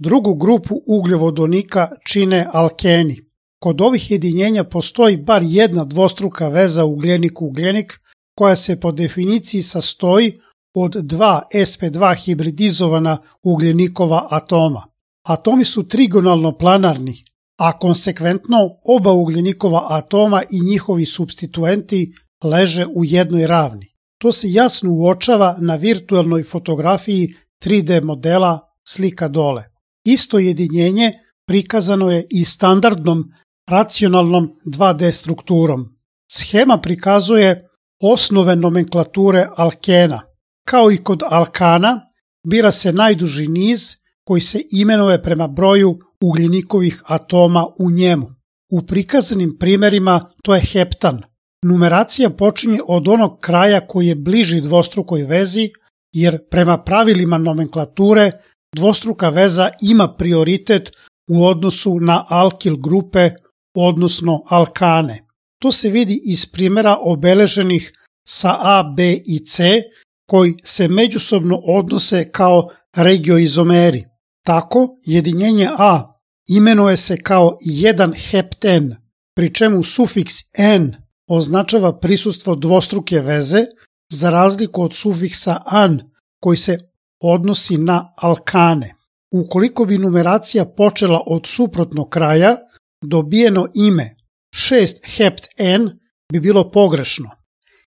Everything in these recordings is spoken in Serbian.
Drugu grupu ugljovodonika čine alkeni. Kod ovih jedinjenja postoji bar jedna dvostruka veza ugljenik-ugljenik koja se po definiciji sastoji od dva sp2 hibridizovana ugljenikova atoma. Atomi su trigonalno planarni, a konsekventno oba ugljenikova atoma i njihovi supstituenti leže u jednoj ravni. To se jasno uočava na virtualnoj fotografiji 3D modela slika dole. Isto jedinjenje prikazano je i standardnom racionalnom 2D strukturom. Schema prikazuje osnove nomenklature alkena. Kao i kod alkana, bira se najduži niz koji se imenuje prema broju ugljenikovih atoma u njemu. U prikazanim primerima to je heptan. Numeracija počinje od onog kraja koji je bliži dvostrukoj vezi, jer prema pravilima nomenklature dvostruka veza ima prioritet u odnosu na alkil grupe, odnosno alkane. To se vidi iz primjera obeleženih sa A, B i C, koji se međusobno odnose kao regioizomeri. Tako, jedinjenje A imenuje se kao 1 hepten, pri čemu sufiks N označava prisustvo dvostruke veze, za razliku od sufiksa an koji se odnosi na alkane. Ukoliko bi numeracija počela od suprotnog kraja, dobijeno ime 6 hept-N bi bilo pogrešno.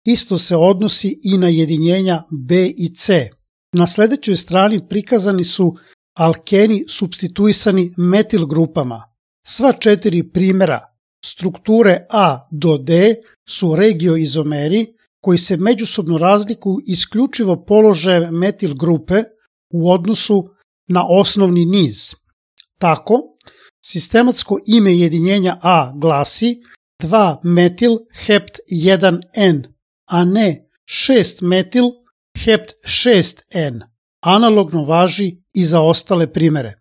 Isto se odnosi i na jedinjenja B i C. Na sledećoj strani prikazani su alkeni supstituisani metil grupama. Sva 4 primjera strukture A do D su regioizomeri koji se međusobno razlikuju isključivo položajem metil grupe u odnosu na osnovni niz. Tako, sistematsko ime jedinjenja A glasi 2 metil hept 1N, a ne 6 metil hept 6N. Analogno važi i za ostale primere.